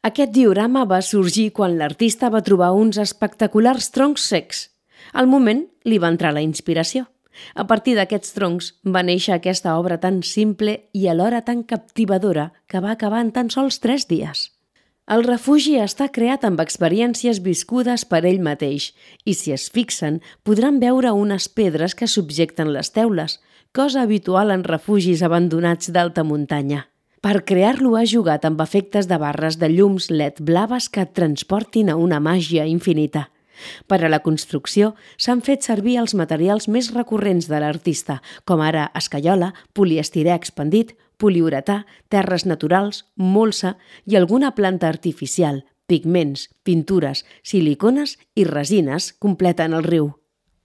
Aquest diorama va sorgir quan l'artista va trobar uns espectaculars troncs secs. Al moment li va entrar la inspiració. A partir d'aquests troncs va néixer aquesta obra tan simple i alhora tan captivadora que va acabar en tan sols 3 dies. El refugi està creat amb experiències viscudes per ell mateix i, si es fixen, podran veure unes pedres que subjecten les teules, cosa habitual en refugis abandonats d'alta muntanya. Per crear-lo ha jugat amb efectes de barres de llums LED blaves que et transportin a una màgia infinita. Per a la construcció s'han fet servir els materials més recurrents de l'artista, com ara escaiola, poliestirè expandit, poliuretà, terres naturals, molsa i alguna planta artificial, pigments, pintures, silicones i resines completen el riu.